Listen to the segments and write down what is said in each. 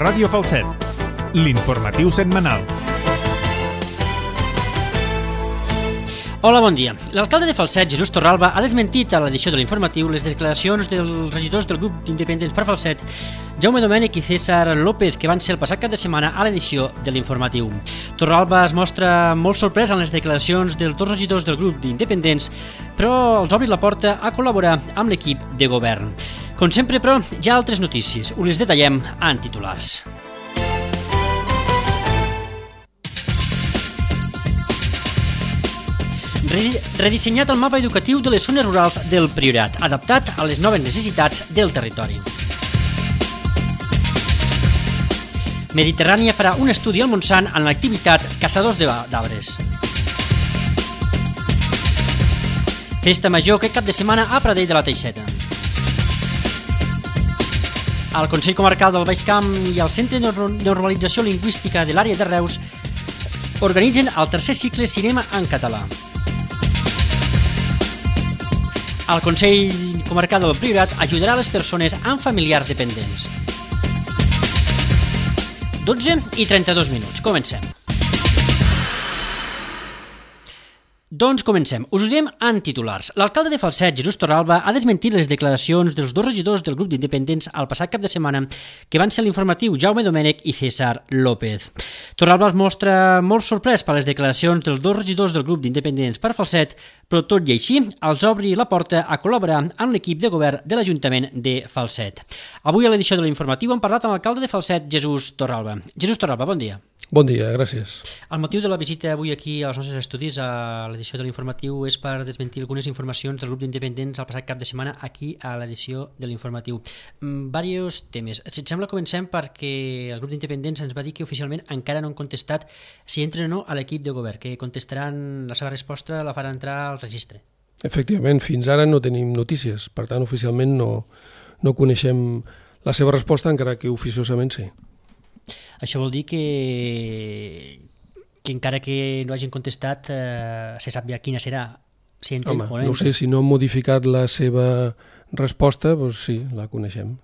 Ràdio Falset, l'informatiu setmanal. Hola, bon dia. L'alcalde de Falset, Jesús Torralba, ha desmentit a l'edició de l'informatiu les declaracions dels regidors del grup d'independents per Falset, Jaume Domènech i César López, que van ser el passat cap de setmana a l'edició de l'informatiu. Torralba es mostra molt sorprès en les declaracions dels dos regidors del grup d'independents, però els obri la porta a col·laborar amb l'equip de govern. Com sempre, però, hi ha altres notícies. Us les detallem en titulars. Redissenyat el mapa educatiu de les zones rurals del Priorat, adaptat a les noves necessitats del territori. Mediterrània farà un estudi al Montsant en l'activitat Caçadors d'Arbres. Festa major aquest cap de setmana a Pradell de la Teixeta. El Consell Comarcal del Baix Camp i el Centre de Normalització Lingüística de l'àrea de Reus organitzen el tercer cicle Cinema en català. El Consell Comarcal del Priorat ajudarà les persones amb familiars dependents. 12:32. Comencem. Doncs comencem. Us ho diem en titulars. L'alcalde de Falset, Jesús Torralba, ha desmentit les declaracions dels dos regidors del grup d'independents al passat cap de setmana, que van ser l'informatiu Jaume Domènech i César López. Torralba es mostra molt sorprès per les declaracions dels dos regidors del grup d'independents per Falset, però tot i així els obri la porta a col·laborar amb l'equip de govern de l'Ajuntament de Falset. Avui a l'edició de l'informatiu hem parlat amb l'alcalde de Falset, Jesús Torralba. Jesús Torralba, bon dia. Bon dia, gràcies. El motiu de la visita avui aquí als nostres estudis a l'edició de l'informatiu és per desmentir algunes informacions del grup d'independents al passat cap de setmana aquí a l'edició de l'informatiu. Diversos temes. Si et sembla, comencem perquè el grup d'independents ens va dir que oficialment encara no han contestat si entren o no a l'equip de govern, que contestaran la seva resposta, la faran entrar al registre. Efectivament, fins ara no tenim notícies, per tant, oficialment no coneixem la seva resposta, encara que oficiosament sí. Això vol dir que encara que no hagin contestat se sap ja quina serà. Si entren o no entren. No sé, si no han modificat la seva resposta, doncs sí, la coneixem.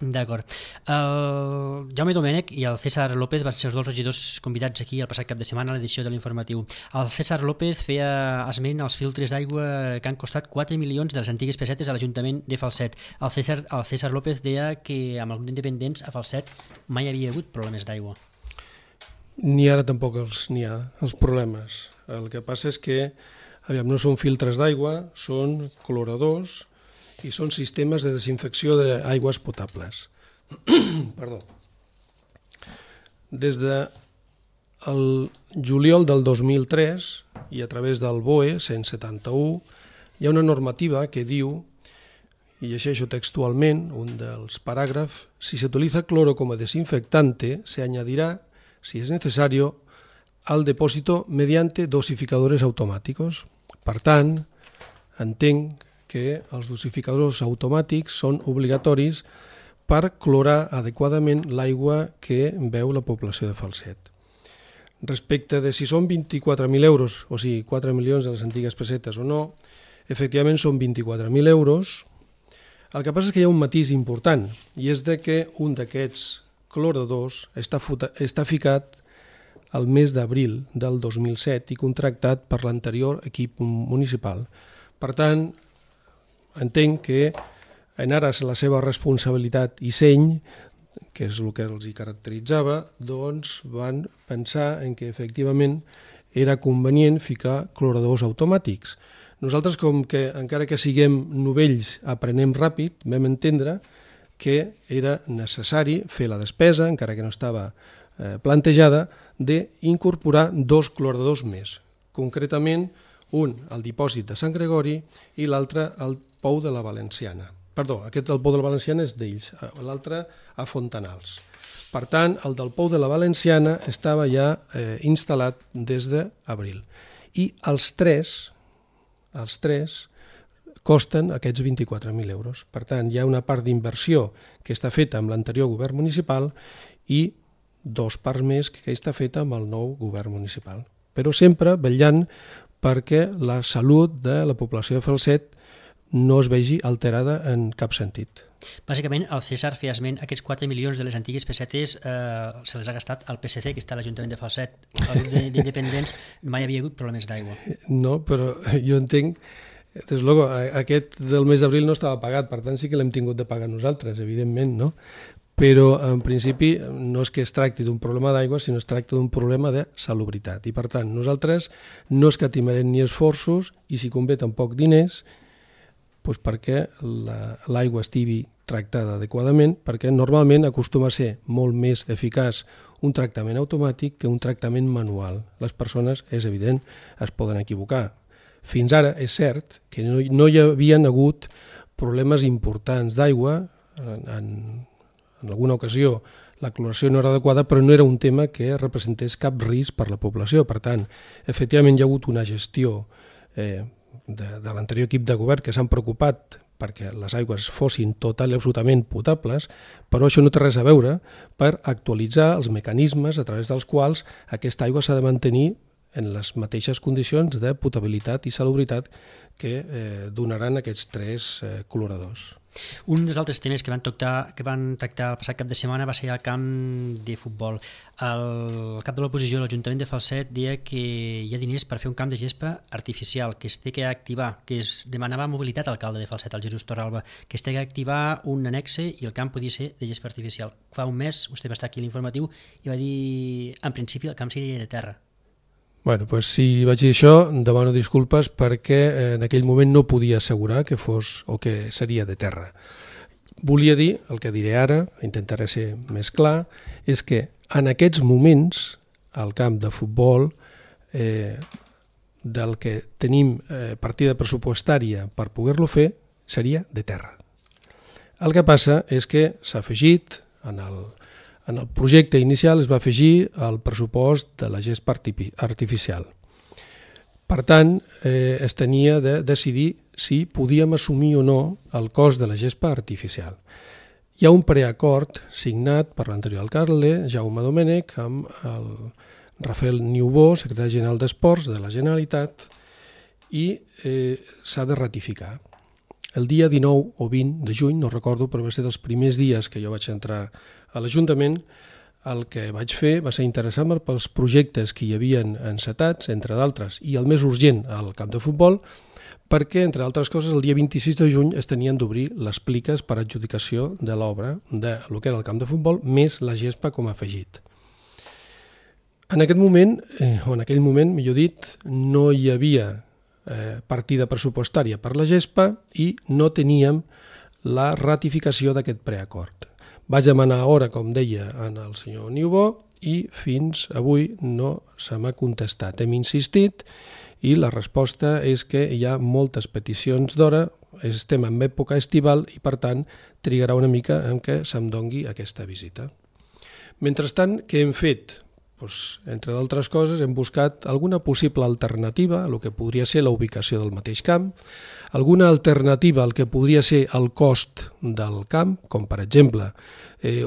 D'acord. El Jaume Domènech i el César López van ser els dos regidors convidats aquí el passat cap de setmana a l'edició de l'informatiu. El César López feia esment als filtres d'aigua que han costat 4 milions de les antigues pessetes a l'Ajuntament de Falset. El César López deia que amb el grup d'independents a Falset mai havia hagut problemes d'aigua. Ni ara tampoc n'hi ha els problemes. El que passa és que no són filtres d'aigua, són cloradors i són sistemes de desinfecció d'aigües potables. Perdó. Des del juliol del 2003 i a través del BOE 171 hi ha una normativa que diu, i llegeixo textualment un dels paràgrafs, si se utiliza cloro como desinfectante, se añadirá, si es necesario, al depósito mediante dosificadores automàticos. Per tant, entenc que els dosificadors automàtics són obligatoris per clorar adequadament l'aigua que beu la població de Falset. Respecte de si són 24.000 euros, o sigui, 4 milions de les antigues pessetes o no, efectivament són 24.000 euros. El que passa és que hi ha un matís important, i és que un d'aquests cloradors està ficat al mes d'abril del 2007 i contractat per l'anterior equip municipal. Per tant, entenc que en ares la seva responsabilitat i seny, que és el que els hi caracteritzava, doncs van pensar en que efectivament era convenient ficar cloradors automàtics. Nosaltres, com que encara que siguem novells, aprenem ràpid, vam entendre que era necessari fer la despesa, encara que no estava plantejada, d'incorporar 2 cloradors més. Concretament, un al dipòsit de Sant Gregori i l'altre al Pou de la Valenciana. Perdó, aquest del Pou de la Valenciana és d'ells, l'altre a Fontanals. Per tant, el del Pou de la Valenciana estava ja instal·lat des d'abril. I els tres costen aquests 24.000 euros. Per tant, hi ha una part d'inversió que està feta amb l'anterior govern municipal i 2 parts més que està feta amb el nou govern municipal. Però sempre vetllant perquè la salut de la població de Falset no es vegi alterada en cap sentit. Bàsicament, el César feia esment, aquests 4 milions de les antigues pessetes se les ha gastat al PSC, que està a l'Ajuntament de Falset. El grup d'independents mai havia hagut problemes d'aigua. No, però jo entenc, des luego, aquest del mes d'abril no estava pagat, per tant sí que l'hem tingut de pagar nosaltres, evidentment, no? Però en principi no és que es tracti d'un problema d'aigua, sinó es tracta d'un problema de salubritat. I per tant, nosaltres no escatimarem ni esforços i si convé tampoc diners, doncs perquè l'aigua estigui tractada adequadament, perquè normalment acostuma a ser molt més eficaç un tractament automàtic que un tractament manual. Les persones, és evident, es poden equivocar. Fins ara és cert que no hi havien hagut problemes importants d'aigua. En alguna ocasió la cloració no era adequada, però no era un tema que representés cap risc per la població. Per tant, efectivament hi ha hagut una gestió de l'anterior equip de govern que s'han preocupat perquè les aigües fossin total i absolutament potables, però això no té res a veure per actualitzar els mecanismes a través dels quals aquesta aigua s'ha de mantenir en les mateixes condicions de potabilitat i salubritat que donaran aquests 3 cloradors. Un dels altres temes que van tractar el passat cap de setmana va ser el camp de futbol. El cap de l'oposició, l'Ajuntament de Falset, deia que hi ha diners per fer un camp de gespa artificial, que es té que activar, que es demanava mobilitat al alcalde de Falset, el Jesús Torralba, que es té que activar un annexe i el camp podia ser de gespa artificial. Fa un mes, vostè va estar aquí a l'informatiu i va dir, en principi, el camp seria de terra. Bueno, doncs si vaig dir això, demano disculpes perquè en aquell moment no podia assegurar que fos o que seria de terra. Volia dir, el que diré ara, intentaré ser més clar, és que en aquests moments al camp de futbol del que tenim partida pressupostària per poder-lo fer seria de terra. El que passa és que s'ha afegit en el projecte inicial es va afegir el pressupost de la gespa artificial. Per tant, es tenia de decidir si podíem assumir o no el cost de la gespa artificial. Hi ha un preacord signat per l'anterior alcalde, Jaume Domènech, amb el Rafael Niubó, secretari general d'Esports de la Generalitat, i s'ha de ratificar. El dia 19 o 20 de juny, no recordo, però va ser dels primers dies que jo vaig entrar a l'Ajuntament, el que vaig fer va ser interessar-me pels projectes que hi havien encetats, entre d'altres, i el més urgent al camp de futbol, perquè, entre altres coses, el dia 26 de juny es tenien d'obrir les pliques per adjudicació de l'obra de lo que era el camp de futbol, més la gespa com a afegit. En aquest moment, o en aquell moment, millor dit, no hi havia partida pressupostària per la gespa i no teníem la ratificació d'aquest preacord. Vaig demanar hora, com deia, al senyor Niubó i fins avui no se m'ha contestat. Hem insistit i la resposta és que hi ha moltes peticions d'hora, estem en època estival i per tant trigarà una mica en què se'm dongui aquesta visita. Mentrestant, què hem fet? Doncs, entre d'altres coses, hem buscat alguna possible alternativa a el que podria ser la ubicació del mateix camp, alguna alternativa al que podria ser el cost del camp, com per exemple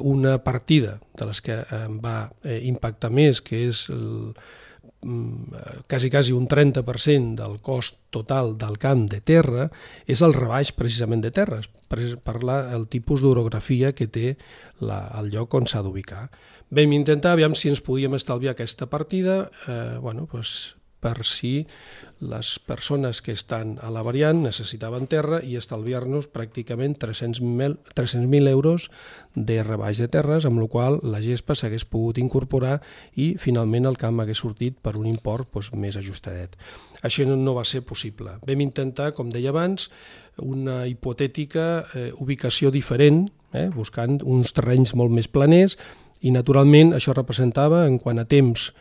una partida de les que em va impactar més, que és quasi un 30% del cost total del camp de terra, és el rebaix precisament de terres, per el tipus d'orografia que té el lloc on s'ha d'ubicar. Vam intentar, aviam si ens podíem estalviar aquesta partida, per si les persones que estan a la variant necessitaven terra i estalviar-nos pràcticament 300.000 euros de rebaix de terres, amb la qual la gespa s'hagués pogut incorporar i finalment el camp hagués sortit per un import més ajustadet. Això no va ser possible. Vam intentar, com deia abans, una hipotètica ubicació diferent, buscant uns terrenys molt més planers, i naturalment això representava, en quant a temps,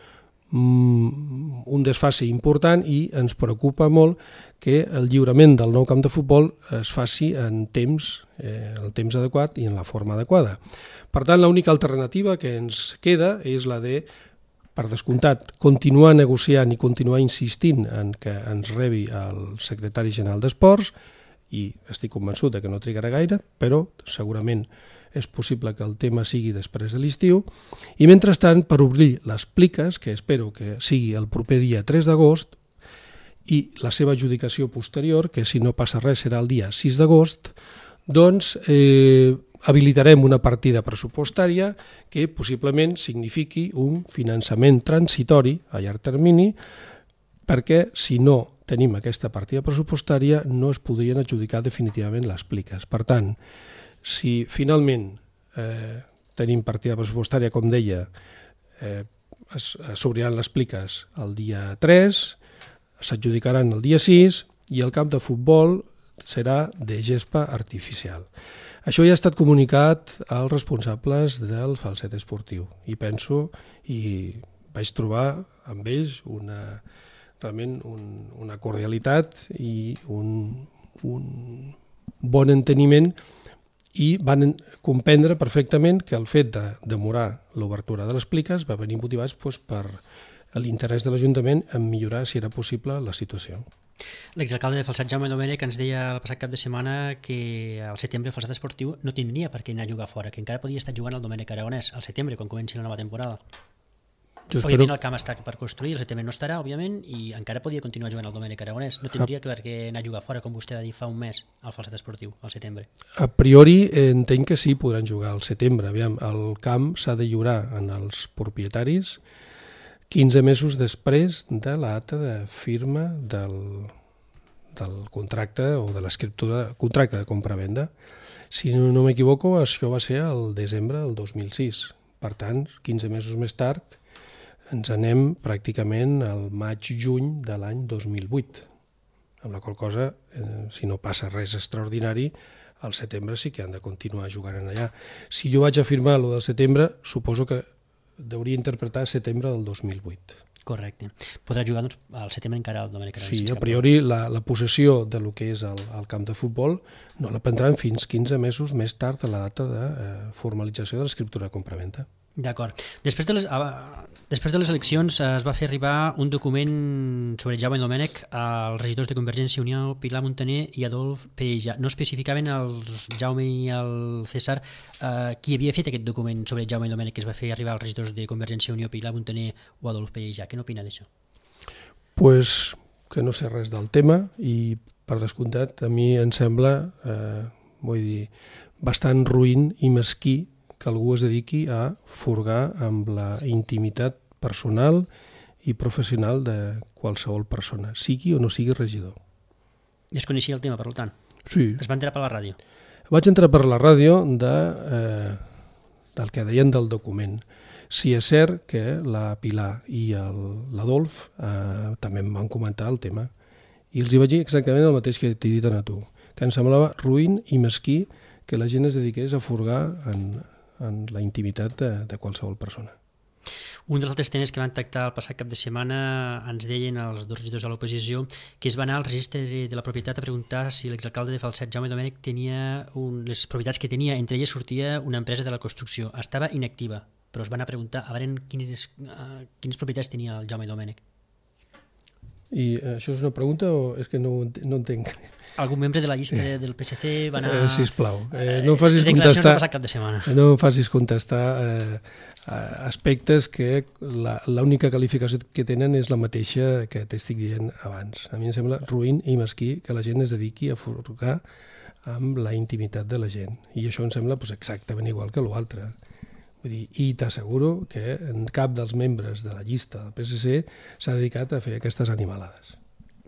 un desfase important i ens preocupa molt que el lliurament del nou camp de futbol es faci en el temps adequat i en la forma adequada. Per tant, l'única alternativa que ens queda és la de, per descomptat, continuar negociant i continuar insistint en que ens rebi el secretari general d'Esports, i estic convençut que no trigarà gaire, però segurament és possible que el tema sigui després de l'estiu, i mentrestant per obrir les pliques, que espero que sigui el proper dia 3 d'agost, i la seva adjudicació posterior, que si no passa res serà el dia 6 d'agost, doncs habilitarem una partida pressupostària que possiblement signifiqui un finançament transitori a llarg termini, perquè si no tenim aquesta partida pressupostària no es podrien adjudicar definitivament les pliques. Per tant, si finalment tenim partida pressupostària, com deia, s'obriran les pliques el dia 3, s'adjudicaran el dia 6 i el camp de futbol serà de gespa artificial. Això ja ha estat comunicat als responsables del falset esportiu i penso, i vaig trobar amb ells realment una cordialitat i un bon enteniment, i van comprendre perfectament que el fet de demorar l'obertura de les pliques va venir motivats per l'interès de l'Ajuntament en millorar, si era possible, la situació. L'exalcalde de Falset, Jaume Domènech, ens deia el passat cap de setmana que al setembre el Falset esportiu no tindria per què anar a jugar fora, que encara podia estar jugant al Domènech Aragonès al setembre, quan comenci la nova temporada. Òbviament el camp està per construir, el setembre no estarà, òbviament, i encara podia continuar jugant al Domènech Aragonès. No tindria per què anar a jugar fora, com vostè va dir fa un mes, al Falset esportiu, al setembre. A priori entenc que sí, podran jugar al setembre. Aviam, el camp s'ha de lliurar als propietaris 15 mesos després de la data de firma del contracte o de l'escriptura, contracte de compra-venda. Si no m'equivoco, això va ser el desembre del 2006. Per tant, 15 mesos més tard, ens anem pràcticament al maig-juny de l'any 2008. Amb la qual cosa, si no passa res extraordinari, al setembre sí que han de continuar jugant allà. Si jo vaig afirmar el del setembre, suposo que hauria interpretar setembre del 2008. Correcte. Podrà jugar doncs, al setembre encara al Domènech Aragonès. Sí, a priori la possessió del que és el camp de futbol no la prendran fins 15 mesos més tard de la data de formalització de l'escriptura de compraventa. D'acord. Després de les eleccions es va fer arribar un document sobre Jaume Domènech als regidors de Convergència i Unió, Pilar Montaner i Adolf Peïja. No especificaven el Jaume i el César qui havia fet aquest document sobre Jaume Domènech que es va fer arribar als regidors de Convergència i Unió, Pilar Montaner o Adolf Peïja. Què n'opina d'això? Pues que no sé res del tema i, per descomptat, a mi em sembla bastant ruïn i mesquí que algú es dediqui a furgar amb la intimitat personal i professional de qualsevol persona, sigui o no sigui regidor. I es coneixia el tema, per tant? Sí. Es va entrar per la ràdio? Vaig entrar per la ràdio del que deien del document. Sí, és cert que la Pilar i l'Adolf també em van comentar el tema i els hi vaig dir exactament el mateix que t'he dit a tu, que em semblava ruïn i mesquí que la gent es dediqués a furgar en la intimitat de qualsevol persona. Un dels altres temes que van tractar el passat cap de setmana ens deien els dos regidors de l'oposició que es va anar al registre de la propietat a preguntar si l'exalcalde de Falset, Jaume Domènech, tenia les propietats que tenia, entre elles sortia una empresa de la construcció. Estava inactiva, però es van anar a preguntar a veure quines propietats tenia el Jaume Domènech. I això és una pregunta o és que no entenc? Algun membre de la llista del PSC va anar... Sisplau, no em facis contestar... cap de setmana. No em facis contestar aspectes que l'única qualificació que tenen és la mateixa que t'estic dient abans. A mi em sembla ruïn i mesquí que la gent es dediqui a furgar amb la intimitat de la gent. I això em sembla exactament igual que l'altre. I t'asseguro que cap dels membres de la llista del PSC s'ha dedicat a fer aquestes animalades.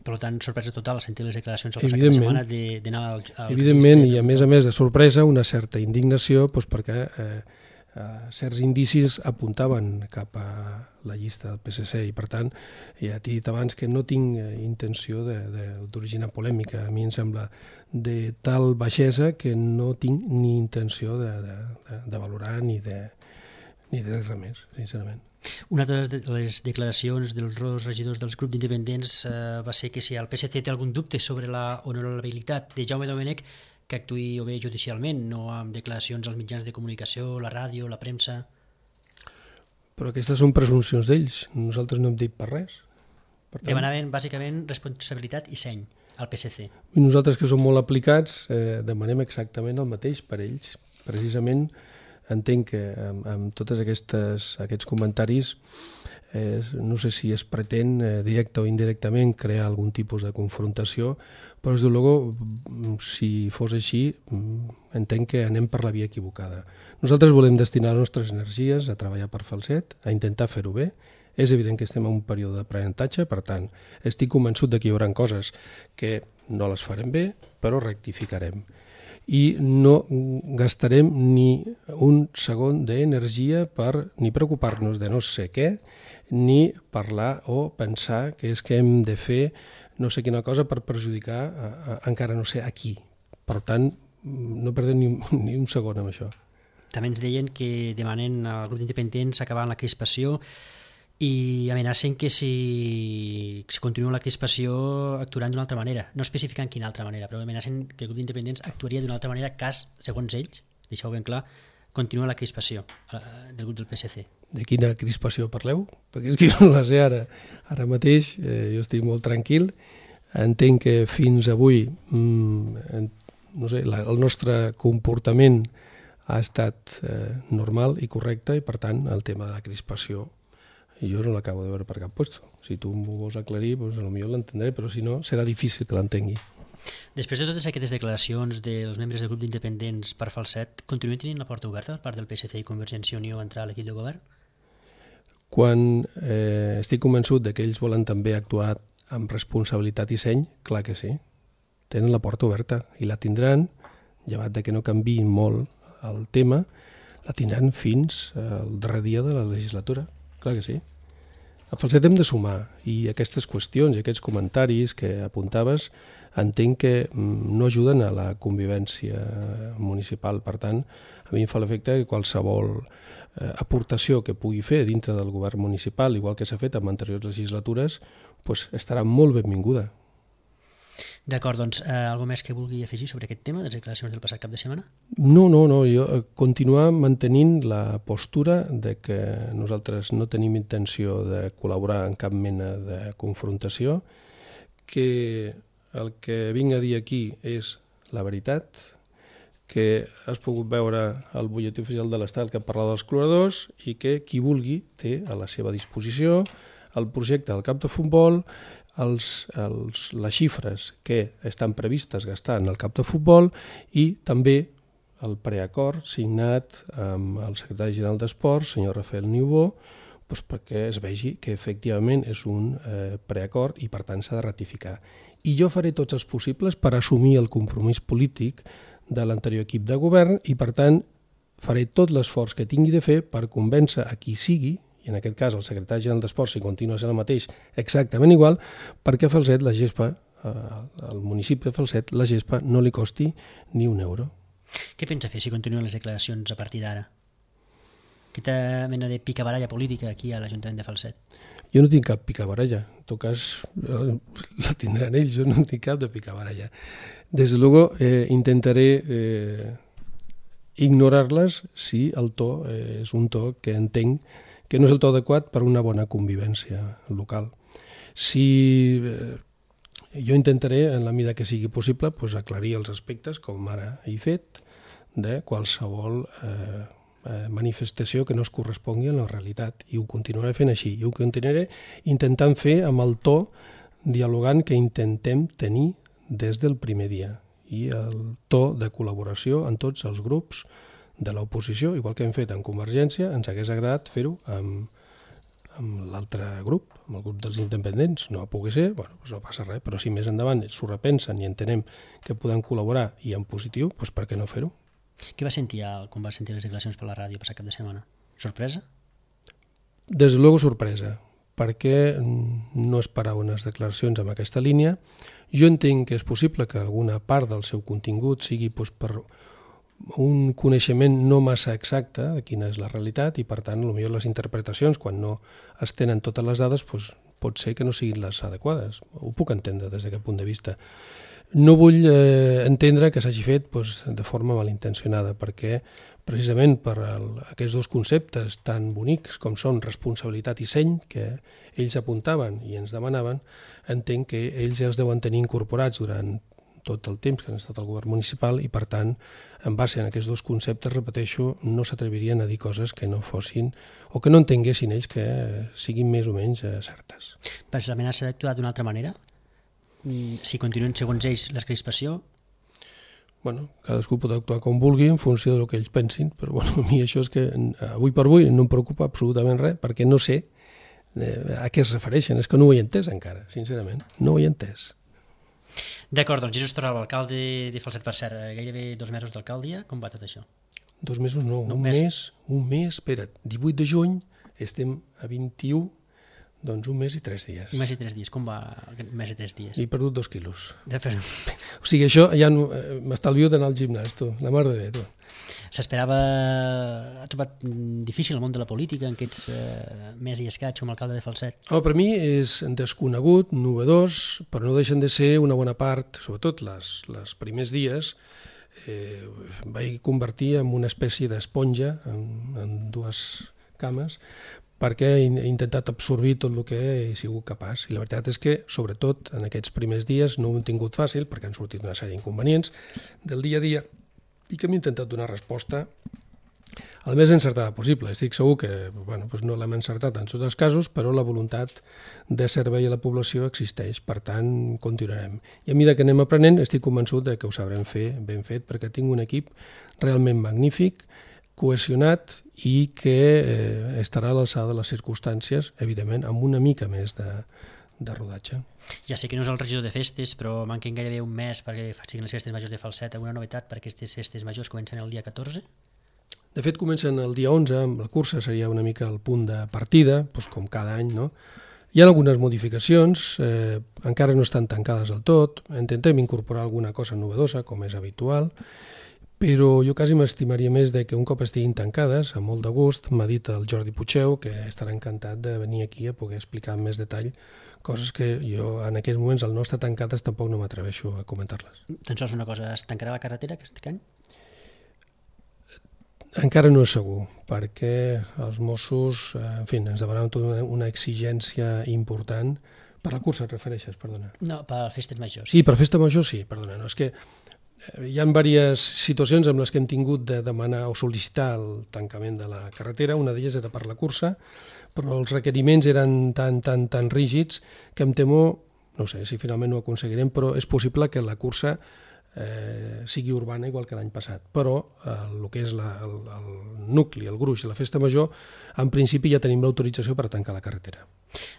Per tant, sorpresa total al sentir les declaracions el passat cap de setmana d'anar al evidentment, i a més de sorpresa, una certa indignació perquè certs indicis apuntaven cap a la llista del PSC i per tant ja t'he dit abans que no tinc intenció d'originar polèmica. A mi em sembla de tal baixesa que no tinc ni intenció de valorar ni de res més, sincerament. Una de les declaracions dels dos regidors dels grups d'independents va ser que si el PSC té algun dubte sobre la honorabilitat de Jaume Domènech, que actuï o bé judicialment, no amb declaracions als mitjans de comunicació, la ràdio, la premsa... Però aquestes són presumpcions d'ells, nosaltres no hem dit per res. Demanaven bàsicament responsabilitat i seny al PSC. I nosaltres, que som molt aplicats, demanem exactament el mateix per ells. Precisament entenc que amb tots aquests comentaris no sé si es pretén directe o indirectament crear algun tipus de confrontació, però des de luego, si fos així, entenc que anem per la via equivocada. Nosaltres volem destinar les nostres energies a treballar per Falset, a intentar fer-ho bé. És evident que estem en un període d'aprenentatge, per tant, estic convençut que hi haurà coses que no les farem bé, però rectificarem. I no gastarem ni un segon d'energia per ni preocupar-nos de no sé què, ni parlar o pensar que és que hem de fer no sé quina cosa per perjudicar encara no sé a qui. Per tant, no perdem ni un segon amb això. També ens deien que demanen al grup d'independents acabar amb la crispació i amenacen que si continua la crispació actuaran d'una altra manera. No especificant quina altra manera, però amenacen que el grup d'independents actuaria d'una altra manera cas, segons ells, deixeu ben clar, continua la crispació del grup del PSC. De quina crispació parleu? Perquè és que no la sé ara. Ara mateix jo estic molt tranquil. Entenc que fins avui no sé, el nostre comportament ha estat normal i correcte i, per tant, el tema de la crispació jo no l'acabo de veure per cap lloc. Si tu m'ho vols aclarir, doncs potser l'entendré, però si no, serà difícil que l'entengui. Després de totes aquestes declaracions dels membres del grup d'independents per Falset, continuen tenint la porta oberta per part del PSC i Convergència i Unió a entrar a l'equip de govern? Quan estic convençut que ells volen també actuar amb responsabilitat i seny, clar que sí. Tenen la porta oberta i la tindran, llevat de que no canviïn molt el tema, la tindran fins al darrer dia de la legislatura. Clar que sí. A Falset hem de sumar i aquestes qüestions i aquests comentaris que apuntaves entenc que no ajuden a la convivència municipal. Per tant, a mi em fa l'efecte que qualsevol aportació que pugui fer dintre del govern municipal, igual que s'ha fet en anteriors legislatures, doncs estarà molt benvinguda. D'acord, doncs, alguna més que vulgui afegir sobre aquest tema de les declaracions del passat cap de setmana? No, jo continuar mantenint la postura de que nosaltres no tenim intenció de col·laborar en cap mena de confrontació, que el que vinc a dir aquí és la veritat, que has pogut veure el butlletí oficial de l'Estat que parla dels cloradors i que qui vulgui té a la seva disposició el projecte del camp de futbol, les xifres que estan previstes gastar en el camp de futbol i també el preacord signat amb el secretari general d'Esports, senyor Rafael Niubó, doncs perquè es vegi que efectivament és un preacord i per tant s'ha de ratificar. I jo faré tots els possibles per assumir el compromís polític de l'anterior equip de govern i per tant faré tot l'esforç que tingui de fer per convèncer a qui sigui, i en aquest cas el secretari general d'Esports, si continua sent el mateix, exactament igual, perquè a Falset la gespa, al municipi de Falset, la gespa no li costi ni un euro. Què pensa fer si continuen les declaracions a partir d'ara? Aquesta mena de picabaralla política aquí a l'Ajuntament de Falset. Jo no tinc cap picabaralla, en tot cas la tindran ells, jo no tinc cap de picabaralla. Des de luego intentaré ignorar-les si el to és un to que entenc que no és el to adequat per una bona convivència local. Si jo intentaré, en la mida que sigui possible, aclarir els aspectes, com ara he fet, de qualsevol manifestació que no es correspongui a la realitat. I ho continuaré fent així. I ho continuaré intentant fer amb el to dialogant que intentem tenir des del primer dia. I el to de col·laboració en tots els grups de l'oposició, igual que hem fet en Convergència, ens hagués agradat fer-ho amb l'altre grup, amb el grup dels independents. No va poder ser, doncs no passa res, però si més endavant s'ho repensen i entenem que podem col·laborar i en positiu, doncs per què no fer-ho? Què va sentir quan va sentir les declaracions per la ràdio passat cap de setmana? Sorpresa? Des de luego sorpresa, perquè no esperava unes declaracions amb aquesta línia. Jo entenc que és possible que alguna part del seu contingut sigui per un coneixement no massa exacte de quina és la realitat i, per tant, potser les interpretacions, quan no es tenen totes les dades, pot ser que no siguin les adequades. Ho puc entendre des d'aquest punt de vista. No vull entendre que s'hagi fet de forma malintencionada, perquè precisament per aquests dos conceptes tan bonics com són responsabilitat i seny, que ells apuntaven i ens demanaven, entenc que ells ja es deuen tenir incorporats durant tot el temps que han estat al govern municipal i, per tant, en base a aquests dos conceptes, repeteixo, no s'atrevirien a dir coses que no fossin o que no entenguessin ells que siguin més o menys certes. Però l'amenaça d'actuar d'una altra manera? Si continuen segons ells l'excrispació? Bueno, cadascú pot actuar com vulgui en funció del que ells pensin, però bueno, a mi això és que avui per avui no em preocupa absolutament res, perquè no sé a què es refereixen. És que no ho he entès encara, sincerament. No ho he entès. D'acord, doncs Jesús Torralba, alcalde de Falset, per cert, gairebé 2 mesos d'alcaldia, com va tot això? 2 mesos no, un mes, espera't, 18 de juny, estem a 21, doncs 1 mes i 3 dies. 1 mes i 3 dies, com va aquest mes i 3 dies? He perdut 2 quilos. O sigui, això ja no, m'estalvio d'anar al gimnàs, tu, la mar de bé, tu. S'esperava... Ha trobat difícil el món de la política en aquests mes i escaig com a alcalde de Falset? Per mi és desconegut, novedós, però no deixen de ser una bona part, sobretot les primers dies, vaig convertir en una espècie d'esponja en 2 cames, perquè he intentat absorbir tot el que he sigut capaç. I la veritat és que, sobretot, en aquests primers dies no ho hem tingut fàcil, perquè han sortit una sèrie d'inconvenients del dia a dia i que hem intentat donar resposta el més encertada possible. Estic segur que no l'hem encertat en tots els casos, però la voluntat de servei a la població existeix, per tant, continuarem. I a mesura que anem aprenent, estic convençut que ho sabrem fer ben fet, perquè tinc un equip realment magnífic, cohesionat i que estarà a l'alçada de les circumstàncies, evidentment, amb una mica més de rodatge. Ja sé que no és el regidor de festes, però manquen gairebé un mes perquè siguin les festes majors de Falset. Alguna novetat per aquestes festes majors comencen el dia 14? De fet, comencen el dia 11, amb la cursa seria una mica el punt de partida, com cada any, no? Hi ha algunes modificacions, encara no estan tancades del tot, intentem incorporar alguna cosa novedosa, com és habitual, però jo quasi m'estimaria més que un cop estiguin tancades, amb molt de gust, m'ha dit el Jordi Puigdeu que estarà encantat de venir aquí a poder explicar amb més detall coses que jo en aquests moments, al no estar tancades, tampoc no m'atreveixo a comentar-les. Doncs és una cosa, es tancarà la carretera aquest any? Encara no és segur, perquè els Mossos, en fi, ens demanaven tota una exigència important. Per la cursa et refereixes, perdona? No, per festes majors. Sí, per festa major sí, perdona. No, és que hi ha diverses situacions en les que hem tingut de demanar o sol·licitar el tancament de la carretera. Una d'elles era per la cursa, però els requeriments eren tan rígids que em temo, no sé si finalment ho aconseguirem, però és possible que la cursa sigui urbana igual que l'any passat, però el que és el nucli, el gruix de la festa major, en principi ja tenim l'autorització per tancar la carretera.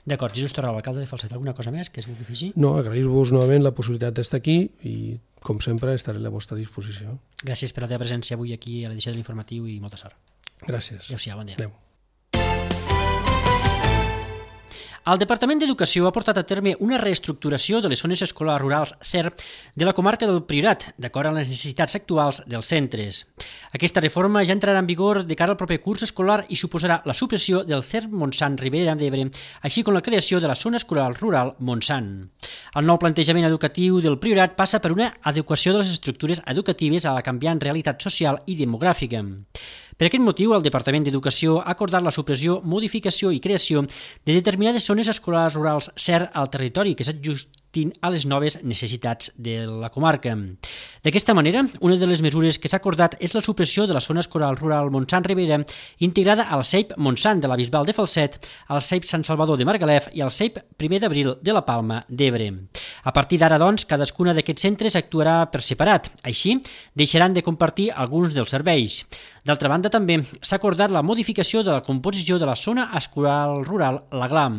D'acord, Jesús Torralba, alcalde de Falset, alguna cosa més que es vulgui afegir? No, agrair-vos novament la possibilitat d'estar aquí i, com sempre, estaré a la vostra disposició. Gràcies per la teva presència avui aquí a l'edició de l'Informatiu i molta sort. Gràcies. Adéu-siau, bon dia. Adéu. El Departament d'Educació ha portat a terme una reestructuració de les zones escolars rurals CER de la comarca del Priorat, d'acord amb les necessitats actuals dels centres. Aquesta reforma ja entrarà en vigor de cara al proper curs escolar i suposarà la supressió del CER Montsant Ribera d'Ebre, així com la creació de la zona escolar rural Montsant. El nou plantejament educatiu del Priorat passa per una adequació de les estructures educatives a la canviant realitat social i demogràfica. Per aquest motiu, el Departament d'Educació ha acordat la supressió, modificació i creació de determinades zones escolars rurals CER al territori que s'ajustin a les noves necessitats de la comarca. D'aquesta manera, una de les mesures que s'ha acordat és la supressió de la zona escolar rural Montsant Ribera, integrada al CEIP Montsant de la Bisbal de Falset, al CEIP Sant Salvador de Margalef i al CEIP 1 d'Abril de la Palma d'Ebre. A partir d'ara, doncs, cadascuna d'aquests centres actuarà per separat. Així, deixaran de compartir alguns dels serveis. D'altra banda, també s'ha acordat la modificació de la composició de la zona escolar rural La Glam.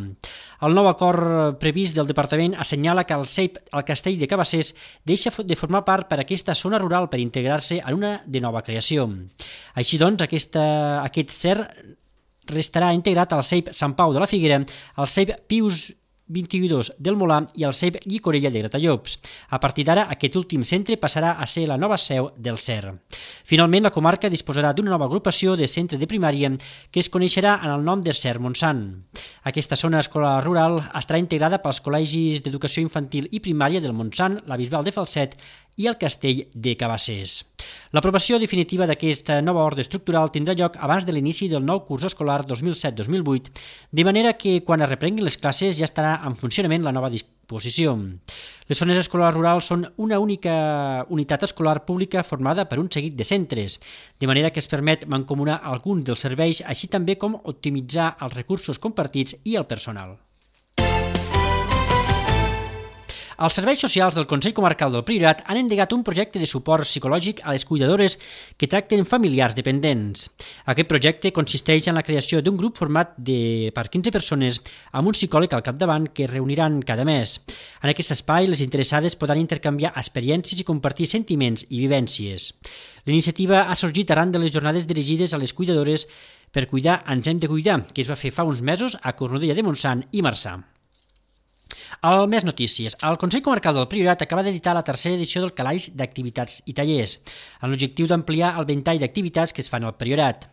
El nou acord previst del Departament assenyala que el CEIP al Castell de Cabassers deixa de formar part per aquesta zona rural per integrar-se en una de nova creació. Així doncs, aquest CER restarà integrat al CEIP Sant Pau de la Figuera, al CEIP Pius 22 del Molar i al CEIP Llicorella de Gratallops. A partir d'ara, aquest últim centre passarà a ser la nova seu del CER. Finalment, la comarca disposarà d'una nova agrupació de centre de primària que es coneixerà en el nom de CER Montsant. Aquesta zona escolar rural estarà integrada pels col·legis d'educació infantil i primària del Montsant, la Bisbal de Falset i el Castell de Cabassers. L'aprovació definitiva d'aquesta nova ordre estructural tindrà lloc abans de l'inici del nou curs escolar 2007-2008, de manera que quan es reprenguin les classes ja estarà en funcionament la nova disposició. Les zones escolars rurals són una única unitat escolar pública formada per un seguit de centres, de manera que es permet mancomunar alguns dels serveis, així també com optimitzar els recursos compartits i el personal. Els serveis socials del Consell Comarcal del Priorat han endegat un projecte de suport psicològic a les cuidadores que tracten familiars dependents. Aquest projecte consisteix en la creació d'un grup format per 15 persones amb un psicòleg al capdavant que es reuniran cada mes. En aquest espai, les interessades podran intercanviar experiències i compartir sentiments i vivències. L'iniciativa ha sorgit arran de les jornades dirigides a les cuidadores per cuidar ens hem de cuidar, que es va fer fa uns mesos a Cornudella de Montsant i Marçà. Al Més Notícies, el Consell Comarcal del Priorat acaba d'editar la tercera edició del calaix d'activitats i tallers, amb l'objectiu d'ampliar el ventall d'activitats que es fan al Priorat.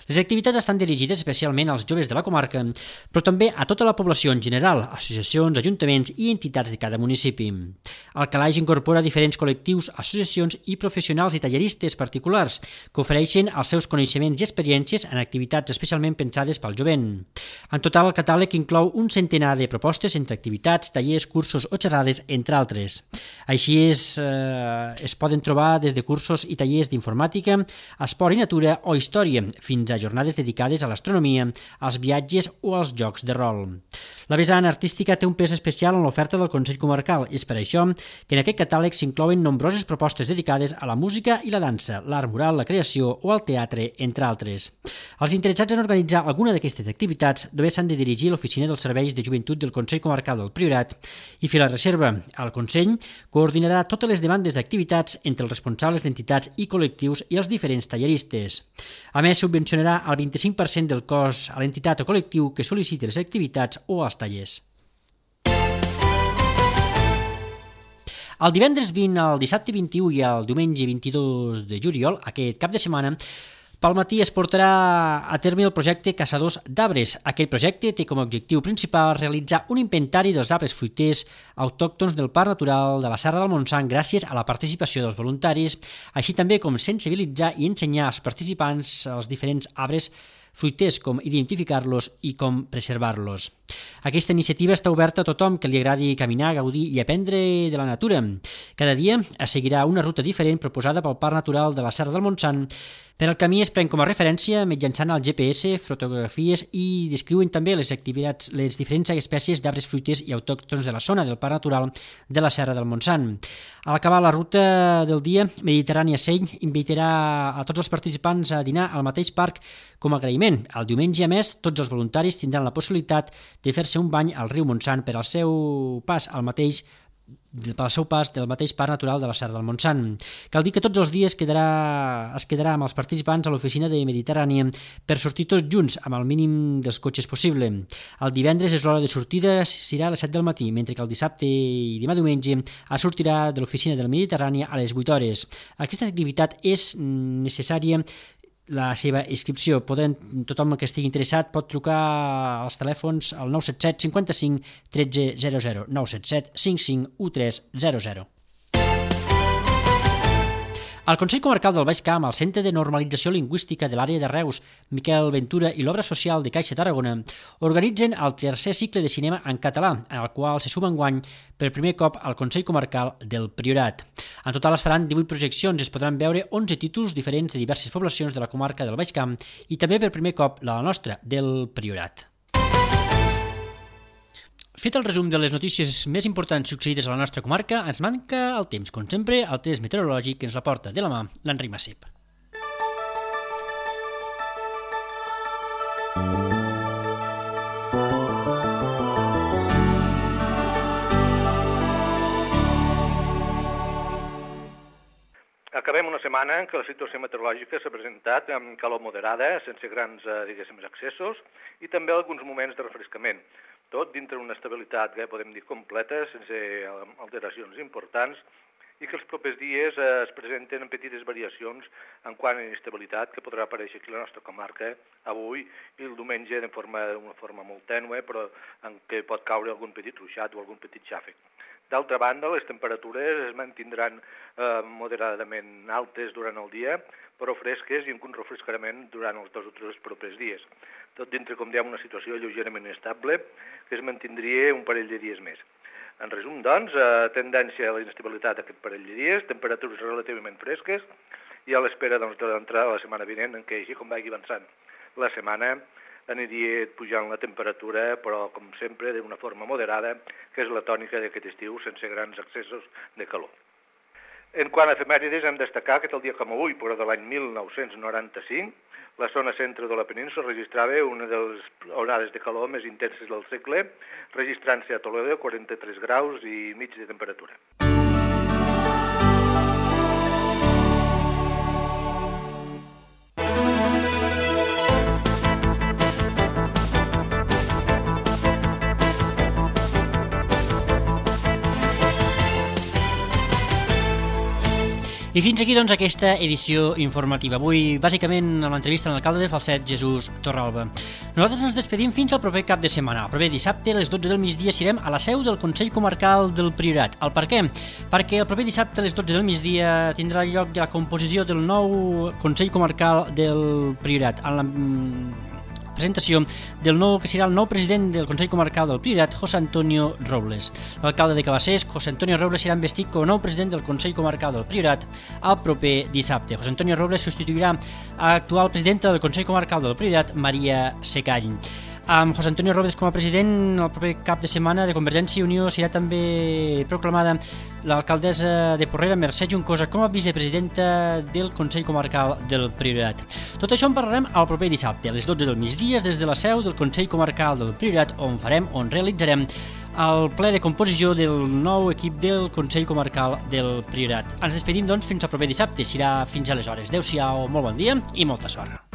Les activitats estan dirigides especialment als joves de la comarca, però també a tota la població en general, associacions, ajuntaments i entitats de cada municipi. El calaix incorpora diferents col·lectius, associacions i professionals i talleristes particulars que ofereixen els seus coneixements i experiències en activitats especialment pensades pel jovent. En total, el catàleg inclou un centenar de propostes entre activitats, tallers, cursos o xerrades, entre altres. Així es poden trobar des de cursos i tallers d'informàtica, esport i natura o història, fins a jornades dedicades a l'astronomia, als viatges o als jocs de rol. La vessant artística té un pes especial en l'oferta del Consell Comarcal i és per això que en aquest catàleg s'inclouen nombroses propostes dedicades a la música i la dansa, l'art mural, la creació o el teatre, entre altres. Els interessats en organitzar alguna d'aquestes activitats només s'han de dirigir a l'Oficina dels Serveis de Joventut del Consell Comarcal del Priorat i fer la reserva. El Consell coordinarà totes les demandes d'activitats entre els responsables d'entitats i col·lectius i els diferents talleristes. A més, subvencionarà el 25% del cost a l'entitat o col·lectiu que sol·liciti les activitats o els tallers. El divendres 20, el dissabte 21 i el diumenge 22 de juliol, aquest cap de setmana, pel matí es portarà a terme el projecte Caçadors d'Arbres. Aquest projecte té com a objectiu principal realitzar un inventari dels arbres fruiters autòctons del Parc Natural de la Serra del Montsant gràcies a la participació dels voluntaris, així també com sensibilitzar i ensenyar als participants els diferents arbres fruiters, com identificar-los i com preservar-los. Aquesta iniciativa està oberta a tothom que li agradi caminar, gaudir i aprendre de la natura. Cada dia es seguirà una ruta diferent proposada pel Parc Natural de la Serra del Montsant. Per al camí es pren com a referència mitjançant el GPS, fotografies i descriuen també les activitats, les diferents espècies d'arbres fruiters i autòctons de la zona del Parc Natural de la Serra del Montsant. A l'acabar la ruta del dia, Mediterrània Seny invitarà a tots els participants a dinar al mateix parc com a agraïment. El diumenge, a més, tots els voluntaris tindran la possibilitat de fer-se un bany al riu Montsant per al seu pas del mateix Parc Natural de la Serra del Montsant. Cal dir que tots els dies es quedarà amb els participants a l'oficina de Mediterrània per sortir tots junts amb el mínim dels cotxes possible. El divendres és l'hora de sortida, serà a les 7 del matí, mentre que el dissabte i demà diumenge es sortirà de l'oficina de la Mediterrània a les 8 hores. Aquesta activitat és necessària la seva inscripció. Tothom que estigui interessat pot trucar als telèfons al 977 55 13 00, 977 55 13 00. El Consell Comarcal del Baix Camp, el Centre de Normalització Lingüística de l'àrea de Reus, Miquel Ventura i l'Obra Social de Caixa Tarragona organitzen el tercer cicle de cinema en català, en el qual se suma enguany per primer cop al Consell Comarcal del Priorat. En total es faran 18 projeccions, es podran veure 11 títols diferents de diverses poblacions de la comarca del Baix Camp i també per primer cop la nostra, del Priorat. Fet el resum de les notícies més importants succeïdes a la nostra comarca, ens manca el temps, com sempre, el test meteorològic que ens la porta de la mà l'Enric Massip. Acabem una setmana en què la situació meteorològica s'ha presentat amb calor moderada, sense grans, excessos, i també alguns moments de refrescament. Tot dintre d'una estabilitat que podem dir completa, sense alteracions importants, i que els propers dies es presenten en petites variacions en quant a inestabilitat que podrà aparèixer aquí a la nostra comarca avui i el diumenge d'una forma molt tènue, però en què pot caure algun petit ruixat o algun petit xàfec. D'altra banda, les temperatures es mantindran moderadament altes durant el dia, però fresques i amb un refrescament durant els 2 o 3 propers dies. Tot dintre, com dèiem, una situació lleugerament inestable que es mantindria un parell de dies més. En resum, doncs, tendència a la inestabilitat aquest parell de dies, temperatures relativament fresques i a l'espera doncs, de l'entrada de la setmana vinent, en què, així com vagi avançant la setmana, aniria pujant la temperatura, però, com sempre, d'una forma moderada, que és la tònica d'aquest estiu, sense grans excessos de calor. En quant a efemèrides, hem de destacar que el dia com avui, però de l'any 1995, la zona centre de la península registrava una de les onades de calor més intenses del segle, registrant-se a Toledo 43 graus i mig de temperatura. I fins aquí, doncs, aquesta edició informativa. Avui, bàsicament, amb l'entrevista amb l'alcalde de Falset, Jesús Torralba. Nosaltres ens despedim fins al proper cap de setmana. El proper dissabte, a les 12 del migdia, serem a la seu del Consell Comarcal del Priorat. El per què? Perquè el proper dissabte, a les 12 del migdia, tindrà lloc la composició del nou Consell Comarcal del Priorat, en la presentació del nou que serà el nou president del Consell Comarcal del Priorat, José Antonio Robles. L'alcalde de Cabassers, José Antonio Robles, serà investit com a nou president del Consell Comarcal del Priorat el proper dissabte. José Antonio Robles substituirà a l'actual presidenta del Consell Comarcal del Priorat, Maria Secall. Amb José Antonio Robles com a president, el proper cap de setmana de Convergència i Unió serà també proclamada l'alcaldessa de Porrera, Mercè Juncosa, com a vicepresidenta del Consell Comarcal del Priorat. Tot això en parlarem el proper dissabte, a les 12 del migdia, des de la seu del Consell Comarcal del Priorat, on realitzarem el ple de composició del nou equip del Consell Comarcal del Priorat. Ens despedim, doncs, fins al proper dissabte. Serà fins aleshores. Adéu-siau, molt bon dia i molta sort.